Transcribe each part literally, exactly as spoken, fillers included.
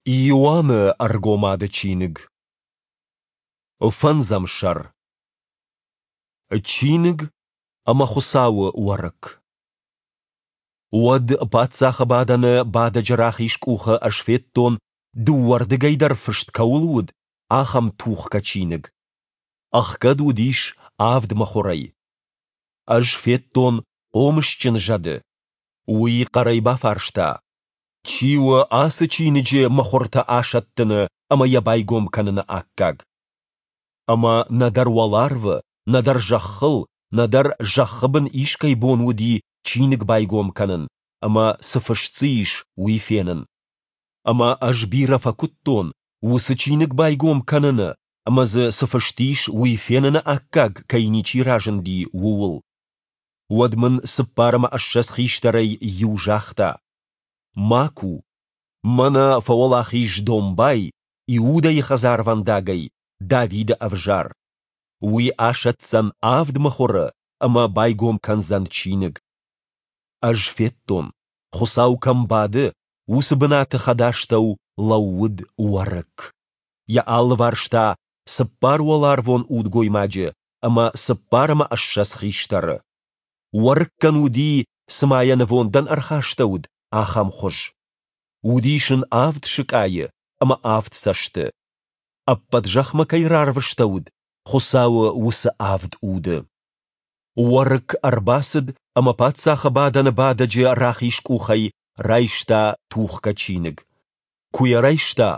Иоанны Ӕргомады чиныг. Фӕндзӕм сӕр. Чиныг ӕмӕ Хуыцауы Уӕрыкк. Уӕд паддзахы бадӕны бадӕджы рахиз къухы ӕз федтон, дыууӕрдыгӕй дӕр фыст кӕуыл уыд, ахӕм тухгӕ чиныг. Ӕхгӕд уыдис авд мыхуырӕй. Ӕз федтон хъомысджын зӕды. Уый хъӕрӕй бафарста: Чи у ацы чиныджы мыхуыртӕ асӕттыны ӕмӕ йӕ байгом кӕныны аккаг? Ӕмӕ нӕдӕр уӕларвы, нӕдӕр зӕххыл, нӕдӕр зӕххы бын искӕй бон уыди чиныг байгом кӕнын ӕмӕ, цы фыст дзы ис, уый фенын. Ӕмӕ ӕз бирӕ фӕкуыдтон, уыцы чиныг байгом кӕныны ӕмӕ дзы цы фыст ис, уый феныны аккаг кӕй ничи разынди, ууыл. Уӕд мын цыппар ӕмӕ ссӕдз хистӕрӕй иу загъта: Ма ку! Мӕнӕ фӕуӕлахиз домбай, Иудӕйы хӕдзарвӕндагӕй, Давиды ӕвзар. Уый асӕтдзӕн авд мыхуыры ӕмӕ байгом кӕндзӕн чиныг. Ӕз федтон, Хуыцау кӕм бады, уыцы бынаты хӕдастӕу лӕууыд Уӕрыкк. Йӕ алыварс та цыппар уӕларвон удгоймаджы ӕмӕ цыппар ӕмӕ ссӕдз хистӕры. Уӕрыккӕн уыди, цыма йӕ нывондӕн ӕрхастӕуыд, ахӕм хуыз. Уыдис ын авд сыкъайы ӕмӕ авд цӕсты. Ӕппӕт зӕхмӕ кӕй рарвыстӕуыд, Хуыцауы уыцы авд уды. Уӕрыкк ӕрбацыд ӕмӕ паддзахы бадӕны бадӕджы рахиз къухӕй райста тухгӕ чиныг. Куы йӕ райста,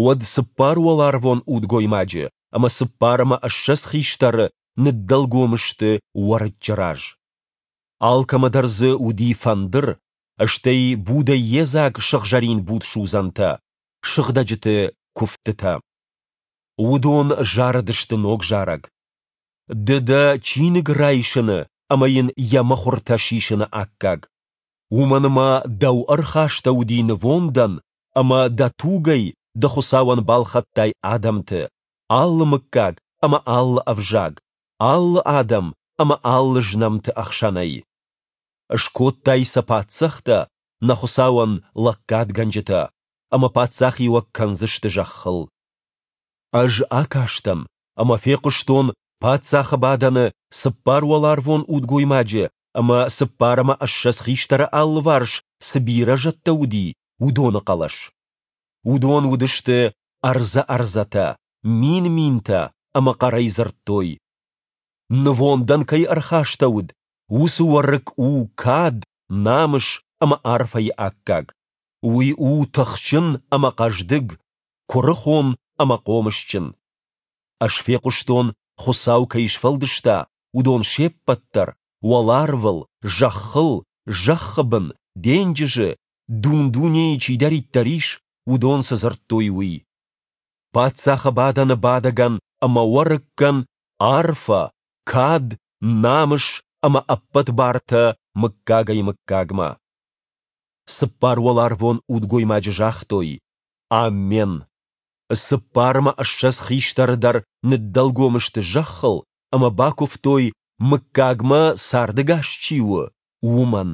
уӕд цыппар уӕларвон удгоймаджы ӕмӕ цыппар ӕмӕ ссӕдз хистӕры ныддӕлгом сты Уӕрыччы раз. Алкӕмӕ дӕр дзы уыди фӕндыр, стӕй будӕй йедзаг сыгъзӕрин будсудзӕнтӕ, сыгъдӕджыты куывдтытӕ. Уыдон зарыдысты ног зарӕг. Ды дӕ чиныг райсыны ӕмӕ йын йӕ мыхуыртӕ сисыны аккаг. Уымӕн ӕмӕ дӕу ӕрхастӕуыди нывондӕн ӕмӕ дӕ тугӕй ды Хуыцауӕн балхӕдтай адӕмты, алы мыггаг ӕмӕ алы ӕвзаг, алы адӕм ӕмӕ алы знӕмты ӕхсӕнӕй. Скодтай сӕ паддзӕхтӕ, нӕ Хуыцауӕн лӕггадгӕнджытӕ, ӕмӕ паддзахиуӕг кӕндзысты зӕххыл. Ӕз акастӕн ӕмӕ фехъуыстон паддзахы бадӕны цыппар уӕларвон удгоймаджы ӕмӕ цыппар ӕмӕ ссӕдз хистӕры алыварс цы бирӕ зӕдтӕ уыди, уыдоны хъӕлӕс. Уыдон уыдысты ӕрдзӕ-ӕрдзӕтӕ, мин-минтӕ ӕмӕ хъӕрӕй дзырдтой: Нывондӕн кӕй ӕрхастӕуыд, уыцы Уӕрыкк у кад, намыс ӕмӕ арфӕйы аккаг. Уый у тыхджын ӕмӕ хъӕздыг, куырыхон ӕмӕ хъомысджын. Ӕз фехъуыстон, Хуыцау кӕй сфӕлдыста, уыдон се ппӕт дӕр, уӕларвыл, зӕххыл, зӕххы бын, денджызы, дун-дунейы чидӕриддӕр ис, уыдон цы дзырдтой, уый. Паддзахы бадӕны бадӕгӕн ӕмӕ Уӕрыккӕн арфӕ, кад, намыс ӕмӕ ӕппӕт бартӕ мыггагӕй-мыггагмӕ. Цыппар уӕларвон удгоймаджы загътой: Аммен! Цыппар ӕмӕ ссӕдз хистӕры дӕр ныддӕлгом сты зӕххыл ӕмӕ бакуывтой, мыггагмӕ цардӕгас чи у, уымӕн.